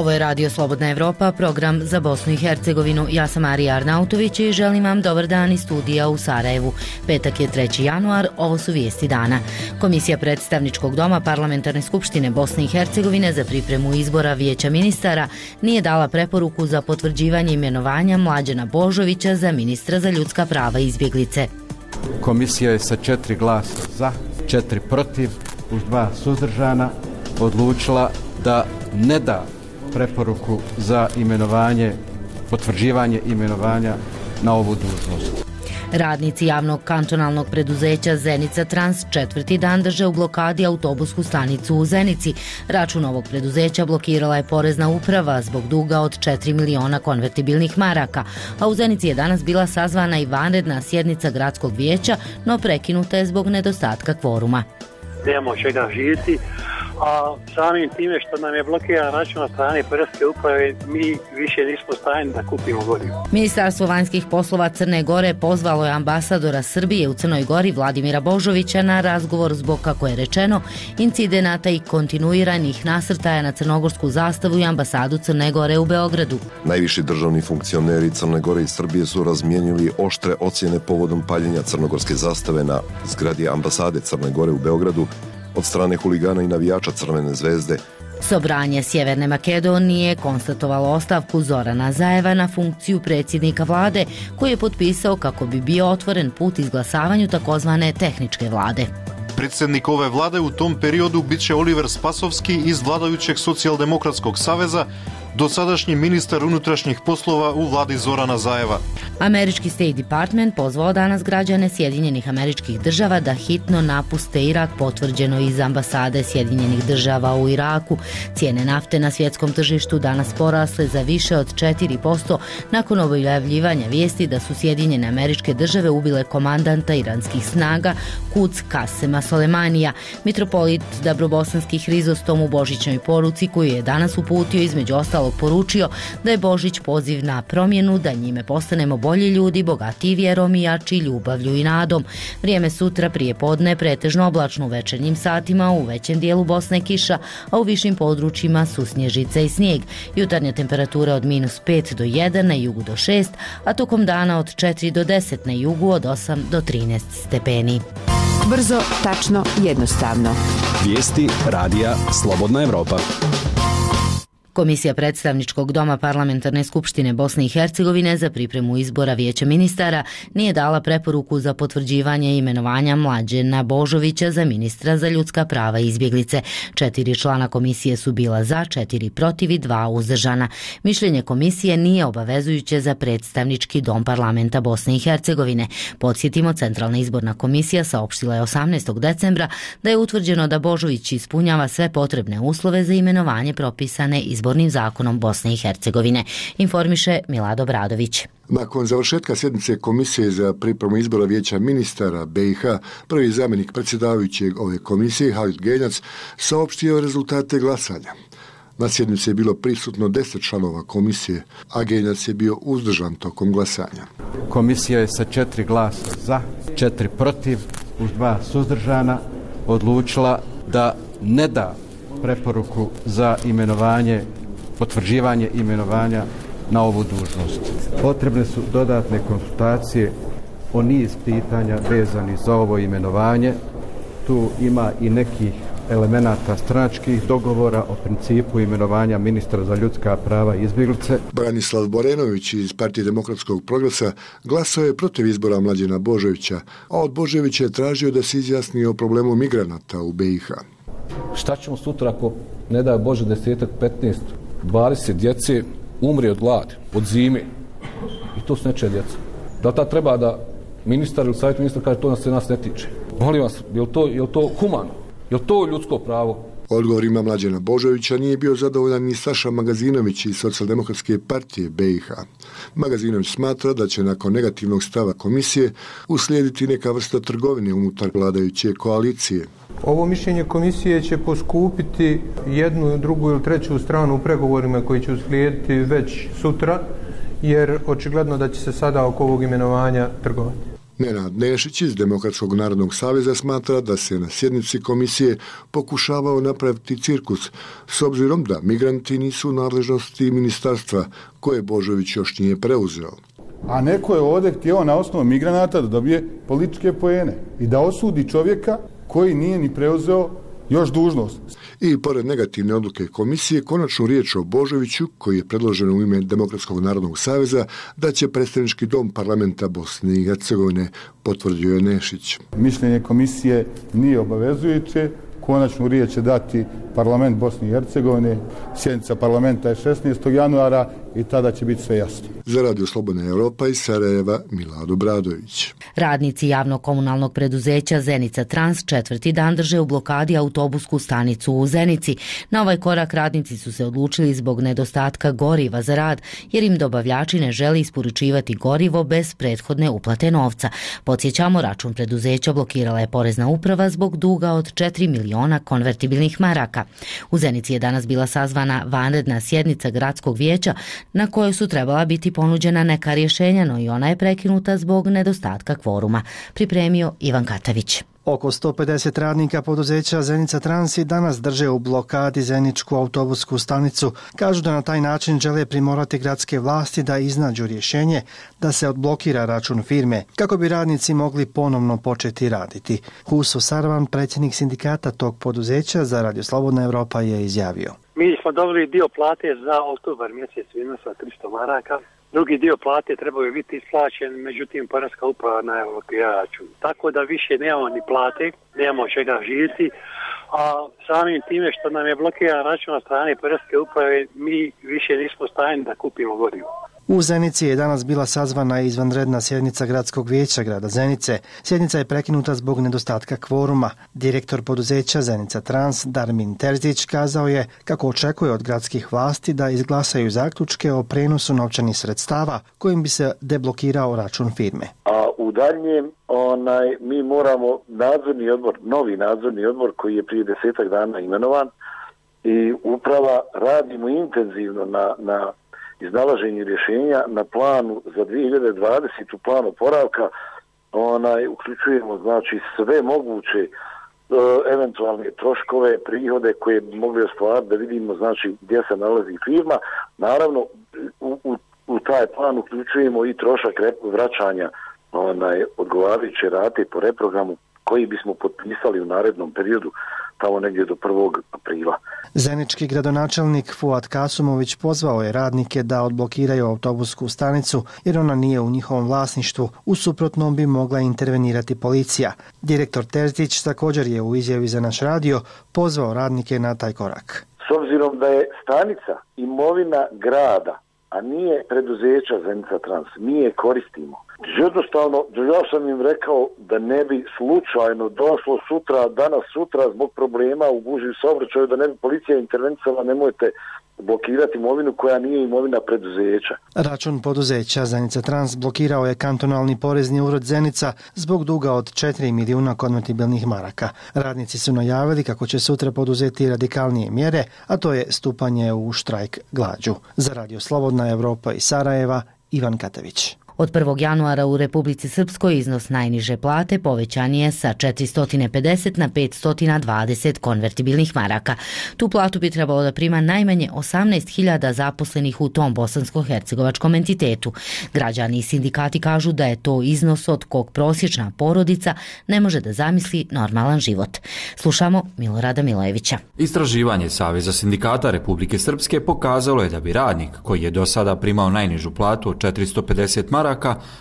Ovo je Radio Slobodna Evropa, program za Bosnu i Hercegovinu. Ja sam Arija Arnautović i želim vam dobar dan iz studija u Sarajevu. Petak je 3. januar, ovo su vijesti dana. Komisija predstavničkog doma Parlamentarne skupštine Bosne i Hercegovine za pripremu izbora Vijeća ministara nije dala preporuku za potvrđivanje imenovanja Mlađana Božovića za ministra za ljudska prava i izbjeglice. Komisija je sa 4 glasa za, 4 protiv, uz 2 suzdržana odlučila da ne da preporuku za imenovanje, potvrđivanje imenovanja na ovu dužnost. Radnici javnog kantonalnog preduzeća Zenica Trans 4. dan drže u blokadi autobusku stanicu u Zenici. Račun ovog preduzeća blokirala je porezna uprava zbog duga od 4 miliona konvertibilnih maraka, a u Zenici je danas bila sazvana i vanredna sjednica gradskog vijeća, no prekinuta je zbog nedostatka kvoruma. Nemamo čega živjeti, a samim time što nam je blokiran račun na strane poreske uprave, mi više nismo stajeni da kupimo gorivo. Ministarstvo vanjskih poslova Crne Gore pozvalo je ambasadora Srbije u Crnoj Gori Vladimira Božovića na razgovor zbog, kako je rečeno, incidenata i kontinuiranih nasrtaja na crnogorsku zastavu i ambasadu Crne Gore u Beogradu. Najviši državni funkcioneri Crne Gore i Srbije su razmijenili oštre ocjene povodom paljenja crnogorske zastave na zgradi ambasade Crne Gore u Beogradu od strane huligana i navijača Crvene zvezde. Sobranje Sjeverne Makedonije konstatovalo ostavku Zorana Zajeva na funkciju predsjednika vlade, koji je potpisao kako bi bio otvoren put izglasavanju takozvane tehničke vlade. Predsjednik ove vlade u tom periodu bit će Oliver Spasovski iz vladajućeg Socijaldemokratskog saveza, dosadašnji ministar unutrašnjih poslova u vladi Zorana Zajeva. Američki State Department pozvao danas građane Sjedinjenih Američkih Država da hitno napuste Irak, potvrđeno iz ambasade Sjedinjenih Država u Iraku. Cijene nafte na svjetskom tržištu danas porasle za više od 4% nakon objavljivanja vijesti da su Sjedinjene Američke Države ubile komandanta iranskih snaga Quds Kasema Solemanija. Mitropolit Dabrobosanski Hrizostom u božićnoj poruci koju je danas uputio između ostalog poručio da je Božić poziv na promjenu, da njime postanemo bolji ljudi, bogatiji vjerom i jači ljubavlju i nadom. Vrijeme sutra prije podne pretežno oblačno, u večernjim satima u većem dijelu Bosne kiša, a u višim područjima susnježica i snijeg. Jutarnje temperature od -5 do 1, na jugu do 6, a tokom dana od 4 do 10, na jugu od 8 do 13 stepeni. Brzo, tačno, jednostavno. Vijesti radija Slobodna Evropa. Komisija predstavničkog doma Parlamentarne skupštine Bosne i Hercegovine za pripremu izbora Vijeća ministara nije dala preporuku za potvrđivanje imenovanja Mlađana Božovića za ministra za ljudska prava i izbjeglice. 4 člana komisije su bila za, 4 protiv i 2 uzdržana. Mišljenje komisije nije obavezujuće za predstavnički dom parlamenta Bosne i Hercegovine. Podsjetimo, Centralna izborna komisija saopštila je 18. decembra da je utvrđeno da Božović ispunjava sve potrebne uslove za imenovanje propisane izbornim zakonom Bosne i Hercegovine, informiše Milado Bradović. Nakon završetka sjednice Komisije za pripremu izbora Vijeća ministara BiH, prvi zamjenik predsjedavajućeg ove komisije, Halid Genjac, saopštio rezultate glasanja. Na sjednici je bilo prisutno 10 članova komisije, a Genjac je bio uzdržan tokom glasanja. Komisija je sa 4 glasa za, 4 protiv, uz 2 suzdržana odlučila da ne da preporuku za imenovanje, potvrđivanje imenovanja na ovu dužnost. Potrebne su dodatne konsultacije o niz pitanja vezanih za ovo imenovanje. Tu ima i nekih elemenata stranačkih dogovora o principu imenovanja ministra za ljudska prava i izbjeglice. Branislav Borenović iz Partije demokratskog progresa glasao je protiv izbora Mlađana Božovića, a od Božovića je tražio da se izjasni o problemu migranata u BiH. Šta ćemo sutra ako, ne daj Bože, 10, 15, 20 djece umri od gladi, od zime? I to su nečija djeca. Da ta treba da ministar ili savjet ministar kaže to nas ne tiče? Molim vas, je li to humano? Je li to ljudsko pravo? Odgovorima Mlađana Božovića nije bio zadovoljan ni Saša Magazinović iz Socijaldemokratske partije BiH. Magazinović smatra da će nakon negativnog stava komisije uslijediti neka vrsta trgovine unutar vladajuće koalicije. Ovo mišljenje komisije će poskupiti jednu, drugu ili treću stranu u pregovorima koji će uslijediti već sutra, jer očigledno da će se sada oko ovog imenovanja trgovati. Nenad Nešić iz Demokratskog narodnog saveza smatra da se na sjednici komisije pokušavao napraviti cirkus, s obzirom da migranti nisu u nadležnosti ministarstva koje Božović još nije preuzeo. A neko je ovdje htio na osnovu migranata da dobije političke poene i da osudi čovjeka koji nije ni preuzeo još dužnost. I pored negativne odluke komisije, konačnu riječ o Božoviću, koji je predložen u ime Demokratskog narodnog saveza, da će predstavnički dom parlamenta Bosne i Hercegovine, potvrdio je Nešić. Mišljenje komisije nije obavezujuće, konačnu riječ će dati parlament Bosne i Hercegovine, sjednica parlamenta je 16. januara i tada će biti sve jasno. Za Radio Slobodna Evropa iz Sarajeva, Milado Bradović. Radnici javnog komunalnog preduzeća Zenica Trans četvrti dan drže u blokadi autobusku stanicu u Zenici. Na ovaj korak radnici su se odlučili zbog nedostatka goriva za rad, jer im dobavljači ne žele isporučivati gorivo bez prethodne uplate novca. Podsjećamo, račun preduzeća blokirala je Porezna uprava zbog duga od 4 miliona konvertibilnih maraka. U Zenici je danas bila sazvana vanredna sjednica gradskog vijeća na kojoj su trebala biti ponuđena neka rješenja, no i ona je prekinuta zbog nedostatka kvoruma. Pripremio Ivan Katavić. Oko 150 radnika poduzeća Zenica Trans i danas drže u blokadi Zeničku autobusku stanicu. Kažu da na taj način žele primorati gradske vlasti da iznađu rješenje da se odblokira račun firme, kako bi radnici mogli ponovno početi raditi. Huso Sarvan, predsjednik sindikata tog poduzeća za Radio Slobodna Evropa, je izjavio. Mi smo dobili dio plate za oktobar mjesec u iznosu 300 maraka. Drugi dio plate trebaju biti isplaćen, međutim Porezna uprava najavila račun. Tako da više nemamo ni plate, nemamo čega živjeti, a samim time što nam je blokiran račun od strane Porezne uprave, mi više nismo stajeni da kupimo gorivo. U Zenici je danas bila sazvana izvanredna sjednica gradskog vijeća grada Zenice. Sjednica je prekinuta zbog nedostatka kvoruma. Direktor poduzeća Zenica Trans, Darmin Terzić, kazao je kako očekuje od gradskih vlasti da izglasaju zaključke o prenosu novčanih sredstava kojim bi se deblokirao račun firme. A u daljnjem mi moramo novi nadzorni odbor koji je prije 10 dana imenovan i uprava radimo intenzivno na iznalaženju rješenja na planu za 2020. plan oporavka. Uključujemo znači sve moguće eventualne troškove, prihode koje bi mogli ostvariti, da vidimo znači gdje se nalazi firma. Naravno u taj plan uključujemo i trošak vraćanja odgovarajuće rate po reprogramu koji bismo potpisali u narednom periodu, tamo negdje do 1. aprila. Zenički gradonačelnik Fuad Kasumović pozvao je radnike da odblokiraju autobusku stanicu jer ona nije u njihovom vlasništvu, u suprotnom bi mogla intervenirati policija. Direktor Terzić također je u izjavi za naš radio pozvao radnike na taj korak. S obzirom da je stanica imovina grada, a nije preduzeća Zenica Trans, mi je koristimo. Jednostavno, ja sam im rekao da ne bi slučajno došlo danas sutra zbog problema u gužvi saobraćaju, da ne bi policija intervenisala, nemojte blokirati imovinu koja nije imovina preduzeća. Račun poduzeća Zenica Trans blokirao je kantonalni porezni ured Zenica zbog duga od 4 milijuna konvertibilnih maraka. Radnici su najavili kako će sutra poduzeti radikalnije mjere, a to je stupanje u štrajk glađu. Za Radio Slobodna Evropa iz Sarajeva, Ivan Katavić. Od 1. januara u Republici Srpskoj iznos najniže plate povećan je sa 450 na 520 konvertibilnih maraka. Tu platu bi trebalo da prima najmanje 18.000 zaposlenih u tom bosansko-hercegovačkom entitetu. Građani i sindikati kažu da je to iznos od kog prosječna porodica ne može da zamisli normalan život. Slušamo Milorada Milojevića. Istraživanje Saveza sindikata Republike Srpske pokazalo je da bi radnik koji je do sada primao najnižu platu od 450 maraka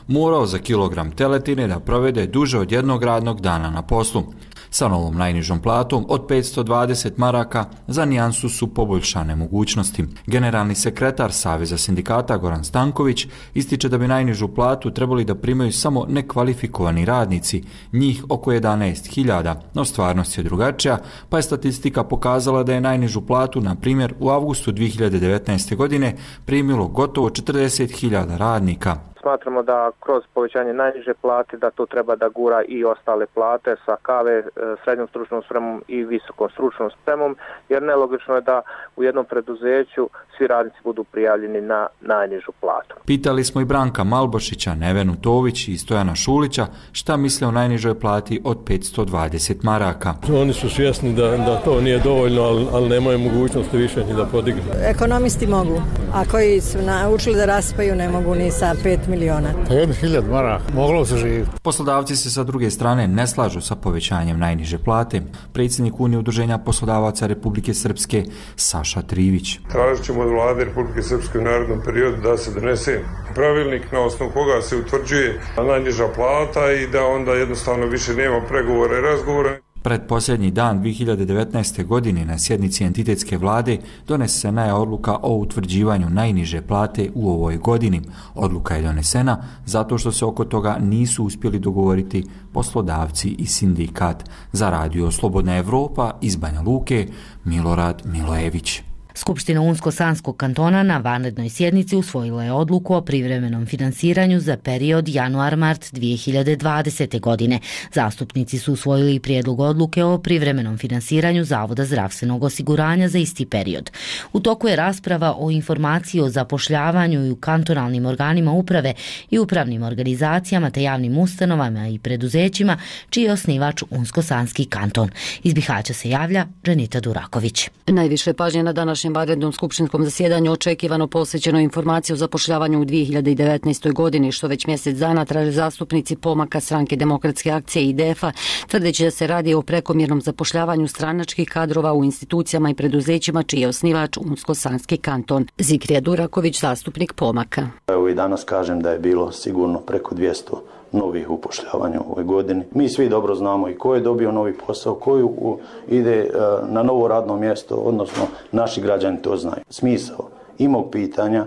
morao za kilogram teletine da provede duže od jednog radnog dana na poslu. Sa novom najnižom platom od 520 maraka za nijansu su poboljšane mogućnosti. Generalni sekretar Saveza sindikata Goran Stanković ističe da bi najnižu platu trebali da primaju samo nekvalifikovani radnici, njih oko 11.000, no stvarnost je drugačija, pa je statistika pokazala da je najnižu platu, na primjer, u avgustu 2019. godine primilo gotovo 40.000 radnika. Smatramo da kroz povećanje najniže plate da to treba da gura i ostale plate sa KV, srednjom stručnom spremom i visokom stručnom spremom, jer nelogično je da u jednom preduzeću svi radnici budu prijavljeni na najnižu platu. Pitali smo i Branka Malbošića, Nevenu Tović i Stojana Šulića šta misle o najnižoj plati od 520 maraka. Oni su svjesni da to nije dovoljno, ali nemaju mogućnosti više ni da podignu. Ekonomisti mogu, a koji su naučili da raspaju ne mogu ni sa 5 miliona. 1.000 maraka, moglo se živjeti. Poslodavci se sa druge strane ne slažu sa povećanjem najniže plate. Predsjednik Unije udruženja poslodavaca Republike Srpske Saša Trivić. Tražit ćemo od vlade Republike Srpske u narednom periodu da se donese pravilnik na osnovu koga se utvrđuje najniža plata i da onda jednostavno više nema pregovora i razgovora. Predposljednji dan 2019. godine na sjednici entitetske vlade donesena je odluka o utvrđivanju najniže plate u ovoj godini. Odluka je donesena zato što se oko toga nisu uspjeli dogovoriti poslodavci i sindikat. Za Radio Slobodna Evropa iz Banja Luke, Milorad Milojević. Skupština Unsko-Sanskog kantona na vanrednoj sjednici usvojila je odluku o privremenom finansiranju za period januar-mart 2020. godine. Zastupnici su usvojili prijedlog odluke o privremenom finansiranju Zavoda zdravstvenog osiguranja za isti period. U toku je rasprava o informaciji o zapošljavanju i u kantonalnim organima uprave i upravnim organizacijama te javnim ustanovama i preduzećima čiji je osnivač Unsko-Sanski kanton. Iz Bihaća se javlja Dženita Duraković. Najviše pažnje na današnjem vanrednom skupštinskom zasjedanju očekivano posvećeno informaciju o zapošljavanju u 2019. godini, što već mjesec dana traže zastupnici Pomaka, Stranke demokratske akcije i IDF-a, tvrdeći da se radi o prekomjernom zapošljavanju stranačkih kadrova u institucijama i preduzećima čiji je osnivač Unsko-Sanski kanton. Zikrija Duraković, zastupnik Pomaka. Evo i danas kažem da je bilo sigurno preko 200 novih upošljavanja u ovoj godini. Mi svi dobro znamo i ko je dobio novi posao, ko ide na novo radno mjesto, odnosno naši građani to znaju. Smisao i mog pitanja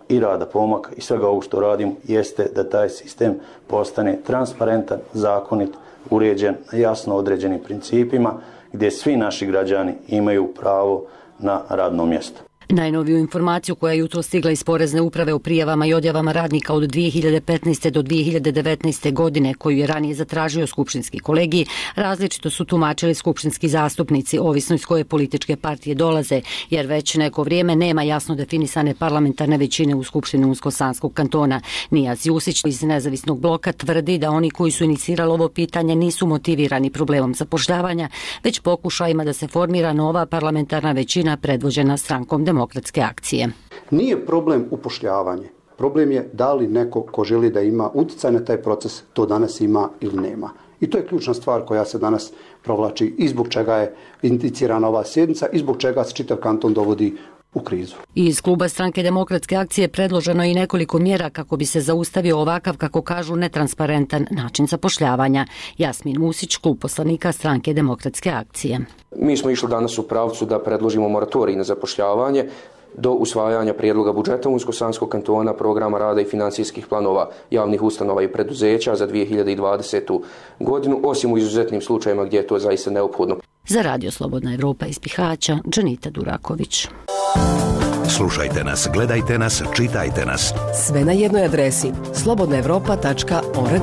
i rada Pomaka i svega ovog što radim jeste da taj sistem postane transparentan, zakonit, uređen na jasno određenim principima gdje svi naši građani imaju pravo na radno mjesto. Najnoviju informaciju koja je jutro stigla iz Porezne uprave o prijavama i odjavama radnika od 2015. do 2019. godine, koju je ranije zatražio skupštinski kolegij, različito su tumačili skupštinski zastupnici, ovisno iz koje političke partije dolaze, jer već neko vrijeme nema jasno definisane parlamentarne većine u Skupštini Unsko-Sanskog kantona. Nijaz Jusić iz Nezavisnog bloka tvrdi da oni koji su inicirali ovo pitanje nisu motivirani problemom zapošljavanja, već pokušajima da se formira nova parlamentarna većina predvođena Strankom demokratske akcije. Nije problem upošljavanje. Problem je da li neko ko želi da ima utjecaj na taj proces to danas ima ili nema. I to je ključna stvar koja se danas provlači i zbog čega je inicirana ova sjednica i zbog čega se čitav kanton dovodi u krizu. Iz kluba Stranke demokratske akcije predloženo je i nekoliko mjera kako bi se zaustavio ovakav, kako kažu, netransparentan način zapošljavanja. Jasmin Musić, klub poslanika Stranke demokratske akcije. Mi smo išli danas u pravcu da predložimo moratorij na zapošljavanje do usvajanja prijedloga budžeta Unsko-Sanskog kantona, programa rada i financijskih planova javnih ustanova i preduzeća za 2020. godinu, osim u izuzetnim slučajevima gdje je to zaista neophodno. Za Radio Slobodna Evropa iz Bihaća, Dženita Duraković. Slušajte nas, gledajte nas, čitajte nas. Sve na jednoj adresi slobodnaevropa.org.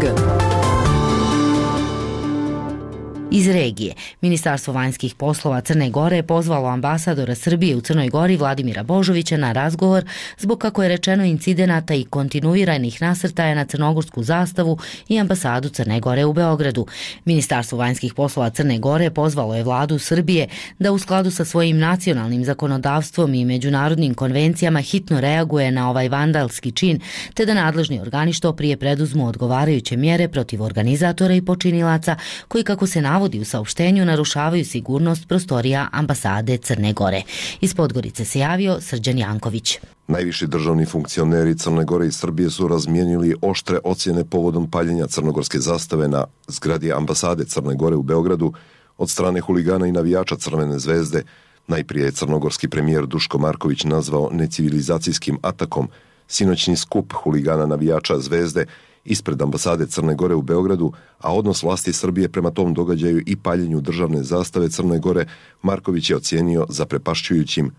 Iz regije, Ministarstvo vanjskih poslova Crne Gore je pozvalo ambasadora Srbije u Crnoj Gori Vladimira Božovića na razgovor zbog, kako je rečeno, incidenata i kontinuiranih nasrtaja na crnogorsku zastavu i ambasadu Crne Gore u Beogradu. Ministarstvo vanjskih poslova Crne Gore pozvalo je vladu Srbije da u skladu sa svojim nacionalnim zakonodavstvom i međunarodnim konvencijama hitno reaguje na ovaj vandalski čin, te da nadležni organi što prije preduzmu odgovarajuće mjere protiv organizatora i počinilaca koji, kako se navodi u saopštenju, narušavaju sigurnost prostorija ambasade Crne Gore. Iz Podgorice se javio Srđan Janković. Najviši državni funkcioneri Crne Gore i Srbije su razmijenili oštre ocjene povodom paljenja crnogorske zastave na zgradi ambasade Crne Gore u Beogradu od strane huligana i navijača Crvene zvezde. Najprije je crnogorski premijer Duško Marković nazvao necivilizacijskim atakom sinoćni skup huligana navijača Zvezde ispred ambasade Crne Gore u Beogradu, a odnos vlasti Srbije prema tom događaju i paljenju državne zastave Crne Gore Marković je ocijenio zaprepašćujućim.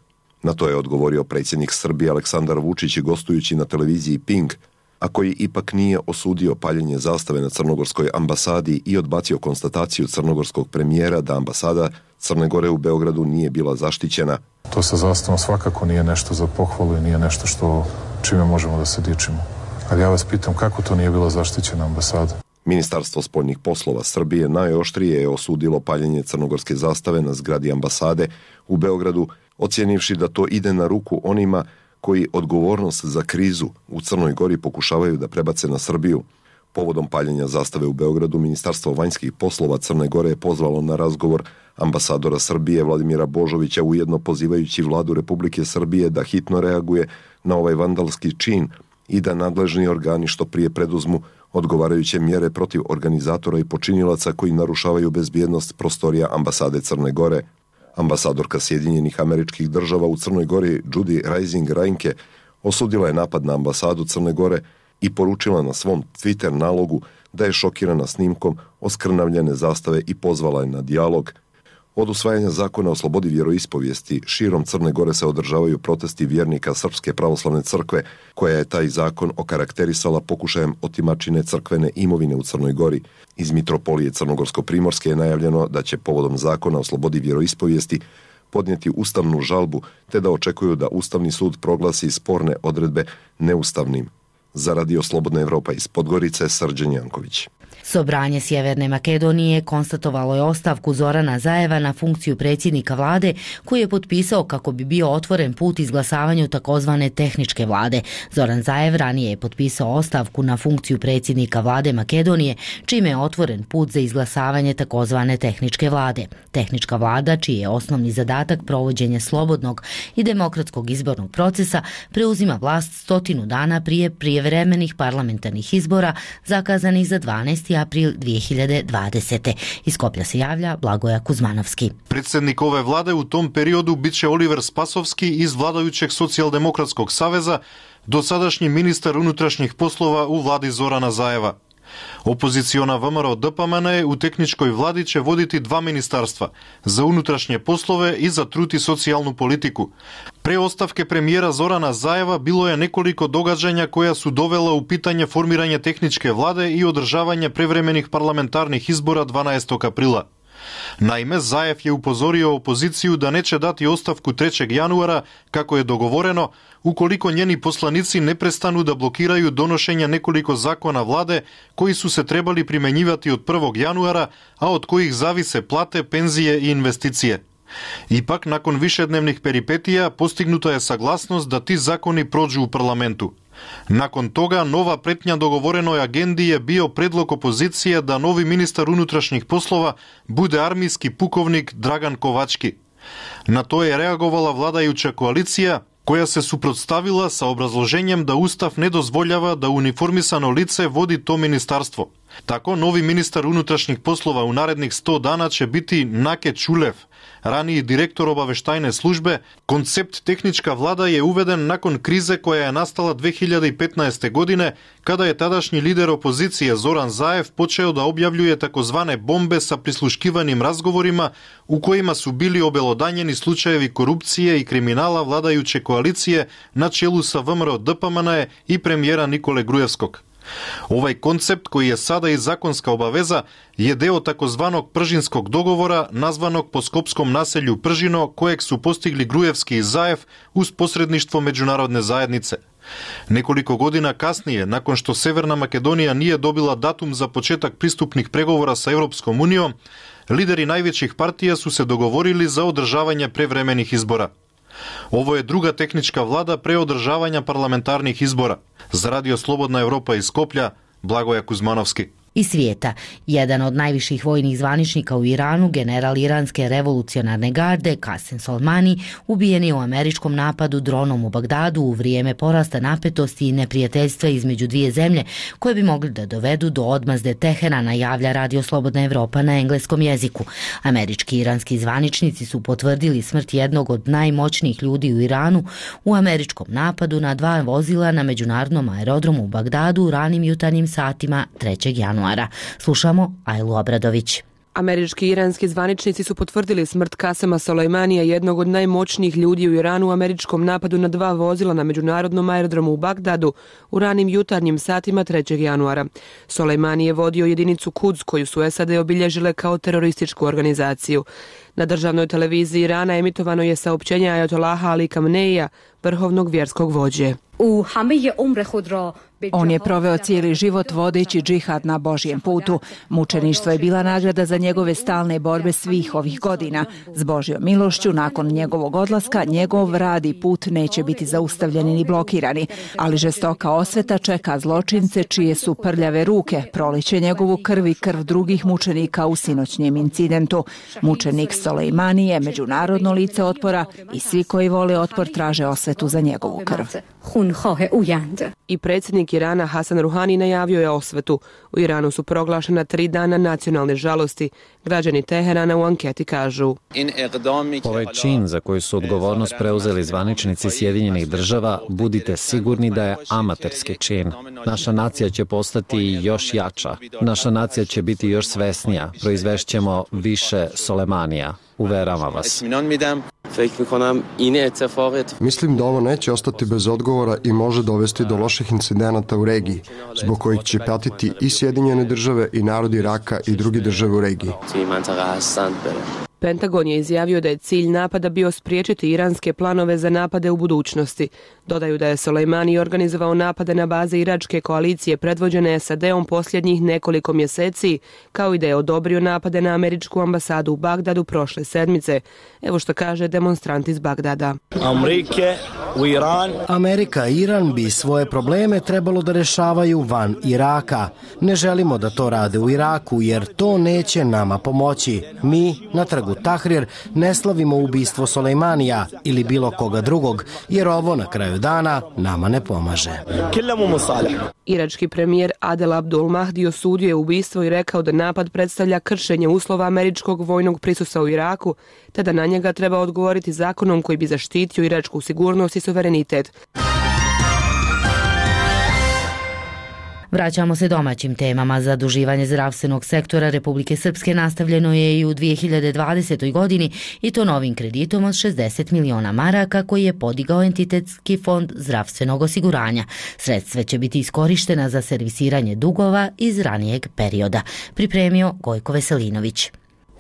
Na to je odgovorio predsjednik Srbije Aleksandar Vučić gostujući na televiziji Pink, a koji ipak nije osudio paljenje zastave na crnogorskoj ambasadi i odbacio konstataciju crnogorskog premijera da ambasada Crne Gore u Beogradu nije bila zaštićena. To sa zastavom svakako nije nešto za pohvalu i nije nešto čime možemo da se dičimo. Ali ja vas pitam, kako to nije bila zaštićena ambasada? Ministarstvo spoljnih poslova Srbije najoštrije je osudilo paljenje crnogorske zastave na zgradi ambasade u Beogradu, ocjenivši da to ide na ruku onima koji odgovornost za krizu u Crnoj Gori pokušavaju da prebace na Srbiju. Povodom paljenja zastave u Beogradu, Ministarstvo vanjskih poslova Crne Gore je pozvalo na razgovor ambasadora Srbije Vladimira Božovića, ujedno pozivajući vladu Republike Srbije da hitno reaguje na ovaj vandalski čin i da nadležni organi što prije preduzmu odgovarajuće mjere protiv organizatora i počinilaca koji narušavaju bezbjednost prostorija ambasade Crne Gore. Ambasadorka Sjedinjenih Američkih Država u Crnoj Gori Judy Rising Reinke osudila je napad na ambasadu Crne Gore i poručila na svom Twitter nalogu da je šokirana snimkom oskrnavljene zastave i pozvala je na dijalog. Od usvajanja zakona o slobodi vjeroispovijesti širom Crne Gore se održavaju protesti vjernika Srpske pravoslavne crkve, koja je taj zakon okarakterisala pokušajem otimačine crkvene imovine u Crnoj Gori. Iz Mitropolije Crnogorsko-Primorske je najavljeno da će povodom zakona o slobodi vjeroispovijesti podnijeti ustavnu žalbu, te da očekuju da Ustavni sud proglasi sporne odredbe neustavnim. Za Radio Slobodna Evropa iz Podgorice, Srđan Janković. Sobranje Sjeverne Makedonije konstatovalo je ostavku Zorana Zajeva na funkciju predsjednika vlade, koji je potpisao kako bi bio otvoren put izglasavanju takozvane tehničke vlade. Zoran Zajev ranije je potpisao ostavku na funkciju predsjednika vlade Makedonije, čime je otvoren put za izglasavanje takozvane tehničke vlade. Tehnička vlada, čiji je osnovni zadatak provođenje slobodnog i demokratskog izbornog procesa, preuzima vlast 100 dana prije prijevremenih parlamentarnih izbora zakazanih za 12. april 2020. Iz Skoplja se javlja Blagoja Kuzmanovski. Predsjednik ove vlade u tom periodu biće Oliver Spasovski iz vladajućeg Socijaldemokratskog saveza, dosadašnji ministar unutrašnjih poslova u vladi Zorana Zajeva. Opoziciona VMRO DPMN u tehničkoj vladi će voditi 2 ministarstva, za unutrašnje poslove i za trud i socijalnu politiku. Pre ostavke premijera Zorana Zajeva bilo je nekoliko događanja koja su dovela u pitanje formiranje tehničke vlade i održavanje prevremenih parlamentarnih izbora 12. aprila. Naime, Zajev je upozorio opoziciju da neće dati ostavku 3. januara, kako je dogovoreno, ukoliko njeni poslanici ne prestanu da blokiraju donošenje nekoliko zakona vlade koji su se trebali primenjivati od 1. januara, a od kojih zavise plate, penzije i investicije. Ipak, nakon višednevnih peripetija, postignuta je saglasnost da ti zakoni prođu u parlamentu. Nakon toga, nova pretnja dogovorenoj agendi je bio predlog opozicije da novi ministar unutrašnjih poslova bude armijski pukovnik Dragan Kovački. Na to je reagovala vladajuća koalicija, koja se suprotstavila sa obrazloženjem da Ustav ne dozvoljava da uniformisano lice vodi to ministarstvo. Tako, novi ministar unutrašnjih poslova u narednih 100 dana će biti Nake Čulev, raniji direktor obaveštajne službe. Koncept tehnička vlada je uveden nakon krize koja je nastala 2015. godine, kada je tadašnji lider opozicije Zoran Zajev počeo da objavljuje takozvane bombe sa prisluškivanim razgovorima u kojima su bili obelodanjeni slučajevi korupcije i kriminala vladajuće koalicije na čelu sa VMRO DPMN i premijera Nikole Grujevskog. Ovaj koncept, koji je sada i zakonska obaveza, je deo takozvanog Pržinskog dogovora, nazvanog po skopskom naselju Pržino, kojeg su postigli Grujevski i Zajev uz posredništvo međunarodne zajednice. Nekoliko godina kasnije, nakon što Severna Makedonija nije dobila datum za početak pristupnih pregovora sa Europskom unijom, lideri najvećih partija su se dogovorili za održavanje prevremenih izbora. Ovo je druga tehnička vlada pre održavanja parlamentarnih izbora. Za Radio Slobodna Evropa iz Skoplja, Blagoja Kuzmanovski. Iz svijeta, jedan od najviših vojnih zvaničnika u Iranu, general iranske revolucionarne garde Qasem Soleimani, ubijen je u američkom napadu dronom u Bagdadu u vrijeme porasta napetosti i neprijateljstva između dvije zemlje, koje bi mogli da dovedu do odmazde Teherana, javlja Radio Slobodna Evropa na engleskom jeziku. Američki i iranski zvaničnici su potvrdili smrt jednog od najmoćnijih ljudi u Iranu u američkom napadu na 2 vozila na međunarodnom aerodromu u Bagdadu u ranim jutarnjim satima 3. januara. Slušamo Ajlu Obradović. Američki i iranski zvaničnici su potvrdili smrt Kasema Solejmanija, jednog od najmoćnijih ljudi u Iranu, u američkom napadu na 2 vozila na međunarodnom aerodromu u Bagdadu u ranim jutarnjim satima 3. januara. Solejmani je vodio jedinicu Quds, koju su SAD obilježile kao terorističku organizaciju. Na državnoj televiziji Irana emitovano je saopćenje Ajatollaha Ali Khameneija, vrhovnog vjerskog vođe. On je proveo cijeli život vodeći džihad na Božjem putu. Mučeništvo je bila nagrada za njegove stalne borbe svih ovih godina. S Božjom milošću, nakon njegovog odlaska, njegov rad i put neće biti zaustavljeni ni blokirani, ali žestoka osveta čeka zločince čije su prljave ruke, proliće njegovu krv i krv drugih mučenika u sinoćnjem incidentu. Mučenik Solejmani je međunarodno lice otpora i svi koji vole otpor traže osvetu za njegovu krv. I predsjednik Irana Hasan Ruhani najavio je osvetu. U Iranu su proglašena 3 dana nacionalne žalosti. Građani Teherana u anketi kažu: Ovaj čin za koji su odgovornost preuzeli zvaničnici Sjedinjenih država, budite sigurni da je amaterski čin. Naša nacija će postati još jača. Naša nacija će biti još svesnija. Proizvešćemo više Soleimanija. Uveravam vas. Mislim da ovo neće ostati bez odgovora i može dovesti do loših incidenata u regiji, zbog kojih će patiti i Sjedinjene države i narod Iraka i druge države u regiji. Pentagon je izjavio da je cilj napada bio spriječiti iranske planove za napade u budućnosti. Dodaju da je Solejmani organizovao napade na baze iračke koalicije predvođene SAD-om posljednjih nekoliko mjeseci, kao i da je odobrio napade na američku ambasadu u Bagdadu prošle sedmice. Evo što kaže demonstrant iz Bagdada. Amerika i Iran bi svoje probleme trebalo da rešavaju van Iraka. Ne želimo da to rade u Iraku jer to neće nama pomoći. Mi na trgu Tahrir ne slavimo ubistvo Solejmanija ili bilo koga drugog, jer ovo na kraju dana nama ne pomaže. Irački premijer Adel Abdul Mahdi osudio je ubistvo i rekao da napad predstavlja kršenje uslova američkog vojnog prisustva u Iraku, te da na njega treba odgovoriti zakonom koji bi zaštitio iračku sigurnost i suverenitet. Vraćamo se domaćim temama. Zaduživanje zdravstvenog sektora Republike Srpske nastavljeno je i u 2020. godini i to novim kreditom od 60 miliona maraka koji je podigao entitetski fond zdravstvenog osiguranja. Sredstva će biti iskorištena za servisiranje dugova iz ranijeg perioda. Pripremio Gojko Veselinović.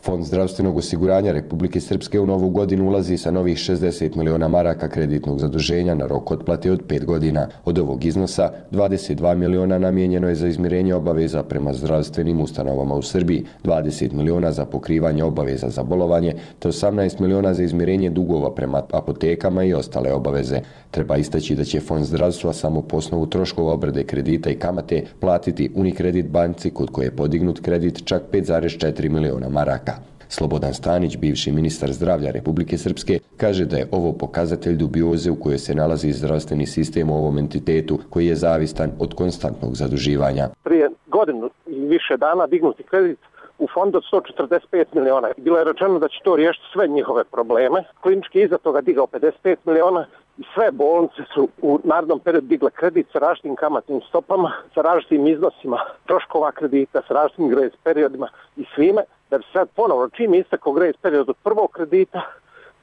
Fond zdravstvenog osiguranja Republike Srpske u novu godinu ulazi sa novih 60 miliona maraka kreditnog zaduženja na rok otplate od 5 godina. Od ovog iznosa 22 miliona namijenjeno je za izmirenje obaveza prema zdravstvenim ustanovama u Srbiji, 20 miliona za pokrivanje obaveza za bolovanje, te 18 miliona za izmirenje dugova prema apotekama i ostale obaveze. Treba istaći da će Fond zdravstva samo po osnovu troškova obrade kredita i kamate platiti Unikredit banci kod koje je podignut kredit čak 5,4 miliona maraka. Slobodan Stanić, bivši ministar zdravlja Republike Srpske, kaže da je ovo pokazatelj dubioze u kojoj se nalazi zdravstveni sistem u ovom entitetu koji je zavistan od konstantnog zaduživanja. Prije godinu i više dana dignuti kredit u fondu od 145 miliona. Bilo je rečeno da će to riješiti sve njihove probleme. Klinički iza toga digao 55 miliona i sve bolnice su u narednom periodu digle kredit sa različitim kamatnim stopama, sa različitim iznosima troškova kredita, sa različitim grace periodima i svime. Da bi sad ponovno, čim istekao grace period od prvog kredita,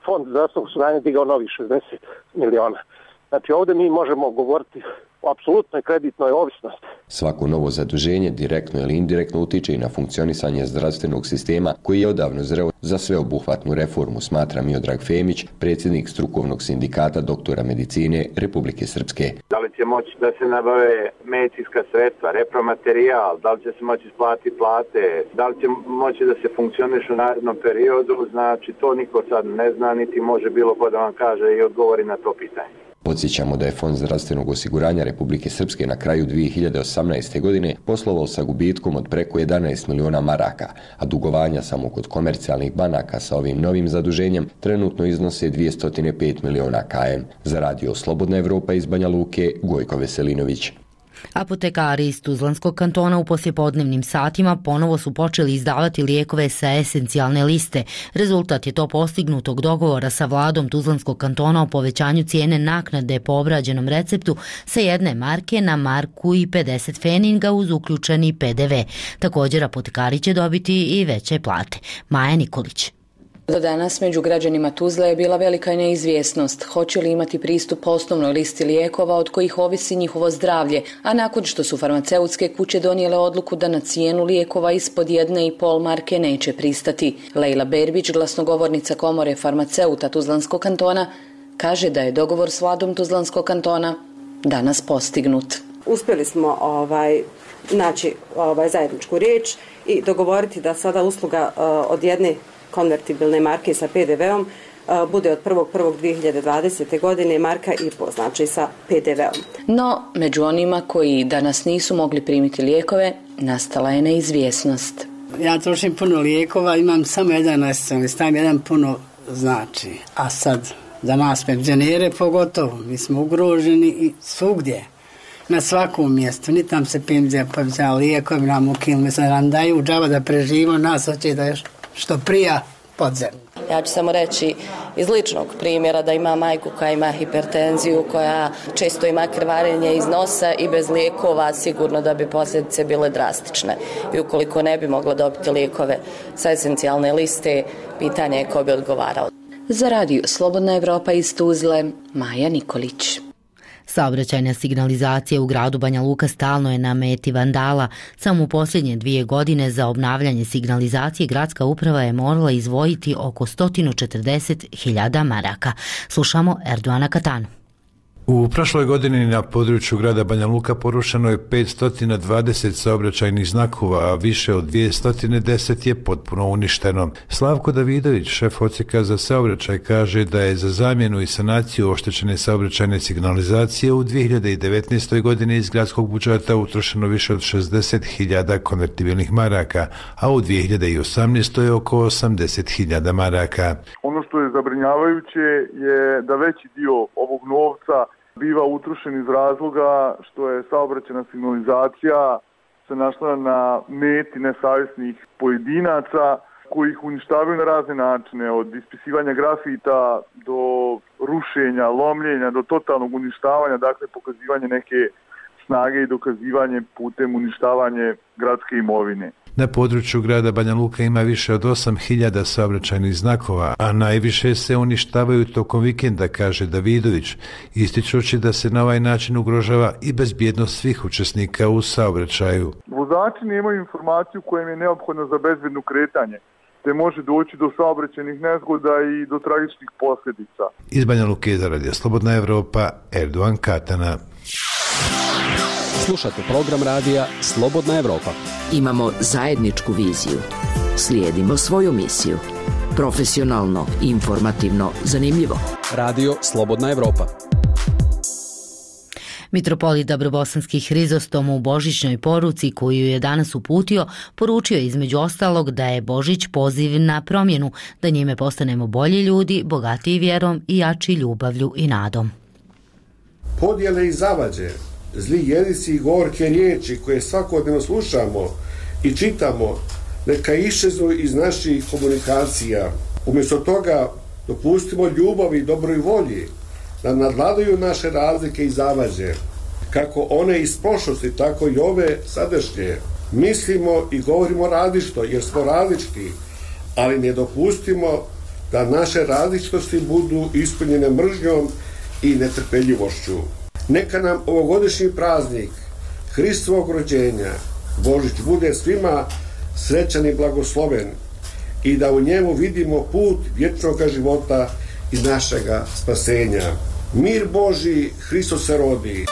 Fond zdravstvenog osiguranja digao novih 60 miliona. Znači ovdje mi možemo govoriti o apsolutnoj kreditnoj ovisnosti. Svako novo zaduženje direktno ili indirektno utiče i na funkcionisanje zdravstvenog sistema koji je odavno zreo za sveobuhvatnu reformu, smatra Miodrag Femić, predsjednik strukovnog sindikata doktora medicine Republike Srpske. Da li će moći da se nabave medicinska sredstva, repromaterijal, da li će se moći isplatiti plate, da li će moći da se funkcioniše u narednom periodu, znači to niko sad ne zna, niti može bilo ko da vam kaže i odgovori na to pitanje. Podsjećamo da je Fond zdravstvenog osiguranja Republike Srpske na kraju 2018. godine poslovao sa gubitkom od preko 11 miliona maraka, a dugovanja samo kod komercijalnih banaka sa ovim novim zaduženjem trenutno iznose 205 miliona km. Za radio Slobodna Evropa iz Banja Luke, Gojko Veselinović. Apotekari iz Tuzlanskog kantona u poslijepodnevnim satima ponovo su počeli izdavati lijekove sa esencijalne liste. Rezultat je to postignutog dogovora sa vladom Tuzlanskog kantona o povećanju cijene naknade po obrađenom receptu sa 1 marke na marku i 50 feninga uz uključeni PDV. Također apotekari će dobiti i veće plate. Maja Nikolić. Do danas među građanima Tuzle je bila velika neizvjesnost. Hoće li imati pristup osnovnoj listi lijekova od kojih ovisi njihovo zdravlje, a nakon što su farmaceutske kuće donijele odluku da na cijenu lijekova ispod 1,5 marke neće pristati. Lejla Berbić, glasnogovornica komore farmaceuta Tuzlanskog kantona, kaže da je dogovor s vladom Tuzlanskog kantona danas postignut. Uspjeli smo naći zajedničku riječ i dogovoriti da sada usluga od jedne konvertibilne marke sa PDV-om bude od 1.1.2020. godine marka i po, znači sa PDV-om. No, među onima koji danas nisu mogli primiti lijekove, nastala je neizvjesnost. Ja trošim puno lijekova, imam samo jedan esencijalni, stavim jedan puno znači. A sad, za nas penzionere pogotovo, mi smo ugroženi i svugdje. Na svakom mjestu, ni tam se penzija povećava lijekovi, nam ukinuli, sad nam daju džaba da preživimo, nas hoće da još što prija podzemlje. Ja ću samo reći iz ličnog primjera da ima majku koja ima hipertenziju, koja često ima krvarenje iz nosa i bez lijekova sigurno da bi posljedice bile drastične. I ukoliko ne bi mogla dobiti lijekove sa esencijalne liste, pitanje je ko bi odgovarao. Za radio Slobodna Evropa iz Tuzle, Maja Nikolić. Saobraćajna signalizacija u gradu Banja Luka stalno je na meti vandala. Samo u posljednje 2 godine za obnavljanje signalizacije gradska uprava je morala izdvojiti oko 140.000 maraka. Slušamo Erdoana Katanu. U prošloj godini na području grada Banja Luka porušeno je 520 saobraćajnih znakova, a više od 210 je potpuno uništeno. Slavko Davidović, šef odsjeka za saobraćaj, kaže da je za zamjenu i sanaciju oštećene saobraćajne signalizacije u 2019. godini iz gradskog budžeta utrošeno više od 60.000 konvertibilnih maraka, a u 2018. je oko 80.000 maraka. Ono što je zabrinjavajuće je da veći dio ovog novca biva utrošen iz razloga što je saobraćajna signalizacija se našla na meti nesavjesnih pojedinaca koji ih uništavaju na razne načine, od ispisivanja grafita do rušenja, lomljenja, do totalnog uništavanja, dakle pokazivanje neke snage i dokazivanje putem uništavanje gradske imovine. Na području grada Banja Luka ima više od 8.000 saobraćajnih znakova, a najviše se uništavaju tokom vikenda, kaže Davidović, ističući da se na ovaj način ugrožava i bezbjednost svih učesnika u saobraćaju. Vozači nemaju informaciju koja im je neophodna za bezbedno kretanje, te može doći do saobraćajnih nezgoda i do tragičnih posljedica. Iz Banja Luke za radio Slobodna Evropa, Erdoan Katana. Slušate program radija Slobodna Evropa. Imamo zajedničku viziju. Slijedimo svoju misiju. Profesionalno, informativno, zanimljivo. Radio Slobodna Evropa. Mitropolit Dabrobosanski Hrizostom u božićnoj poruci koju je danas uputio, poručio je između ostalog da je Božić poziv na promjenu, da njime postanemo bolji ljudi, bogatiji vjerom i jači ljubavlju i nadom. Podjele i zavađe, zli jedici i gorke riječi koje svakodnevno slušamo i čitamo, neka iščeznu iz naših komunikacija. Umjesto toga dopustimo ljubavi i dobroj volji da nadvladaju naše razlike i zavađe, kako one iz prošlosti, tako i ove sadašnje. Mislimo i govorimo različito jer smo različiti, ali ne dopustimo da naše različitosti budu ispunjene mržnjom i netrpeljivošću. Neka nam ovogodišnji praznik Hristovog rođenja, Božić, bude svima srećan i blagosloven i da u njemu vidimo put vječnog života i našega spasenja. Mir Božji, Hristos se rodi.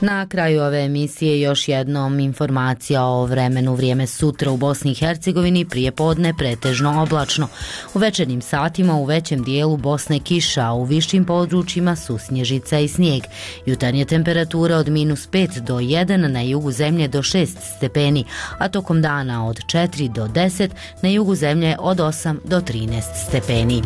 Na kraju ove emisije još jednom informacija o vremenu. Vrijeme sutra u Bosni i Hercegovini prije podne pretežno oblačno. U večernjim satima u većem dijelu Bosne kiša, a u višim područjima susnježica i snijeg. Jutarnje temperature od -5 do 1, na jugu zemlje do 6 stepeni, a tokom dana od 4 do 10, na jugu zemlje od 8 do 13 stepeni.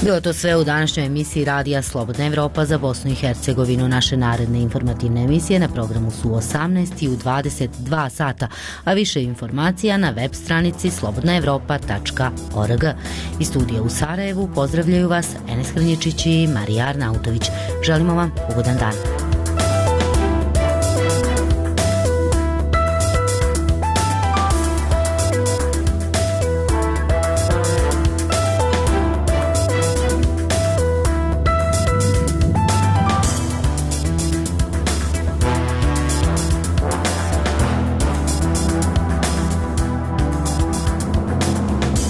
Bilo to sve u današnjoj emisiji Radija Slobodna Evropa za Bosnu i Hercegovinu. Naše naredne informativne emisije na programu su u 18 i u 22 sata, a više informacija na web stranici slobodnaevropa.org. Iz studija u Sarajevu pozdravljaju vas Enes Hrnječić i Marija Arnautović. Želimo vam ugodan dan.